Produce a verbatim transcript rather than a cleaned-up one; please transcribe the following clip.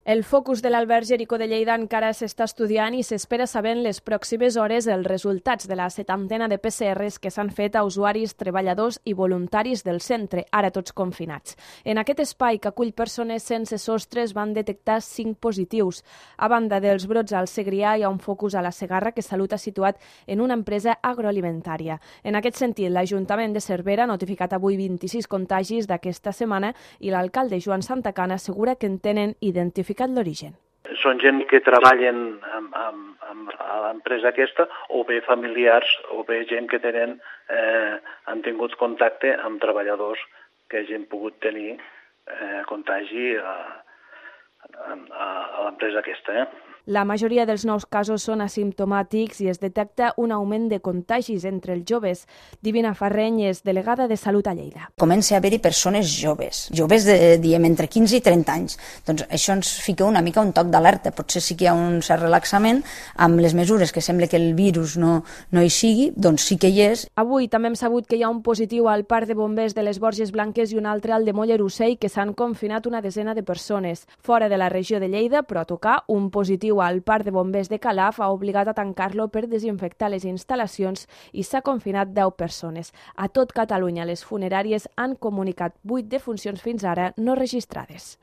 El focus de l'Alberg Jericó de Lleida encara s'està estudiant i s'espera saber en les pròximes hores els resultats de la setantena de P C Rs que s'han fet a usuaris, treballadors i voluntaris del centre, ara tots confinats. En aquest espai que acull persones sense sostres van detectar cinc positius. A banda dels brots al Segrià, hi ha un focus a la Segarra que Salut ha situat en una empresa agroalimentària. En aquest sentit, l'Ajuntament de Cervera ha notificat avui vint-i-sis contagis d'aquesta setmana i l'alcalde Joan Santacana assegura que en tenen identificat l'origen. Són gent que treballen amb, amb, amb a l'empresa aquesta, o bé familiars, o bé gent que tenen, eh, han tingut contacte amb treballadors que hagin pogut tenir eh, contagi a, a, a l'empresa aquesta. Eh? La majoria dels nous casos són asimptomàtics i es detecta un augment de contagis entre els joves. Divina Farreny és delegada de Salut a Lleida. Comença a haver-hi persones joves, joves de, diem, entre quinze i trenta anys. Doncs això ens fica una mica un toc d'alerta. Potser sí que hi ha un cert relaxament amb les mesures que sembla que el virus no, no hi sigui, doncs sí que hi és. Avui també hem sabut que hi ha un positiu al Parc de Bombers de les Borges Blanques i un altre al de Mollerussell que s'han confinat una desena de persones. Fora de la regió de Lleida, però a tocar, un positiu al Parc de Bombers de Calaf ha obligat a tancar-lo per desinfectar les instal·lacions i s'ha confinat deu persones. A tot Catalunya, les funeràries han comunicat vuit defuncions fins ara no registrades.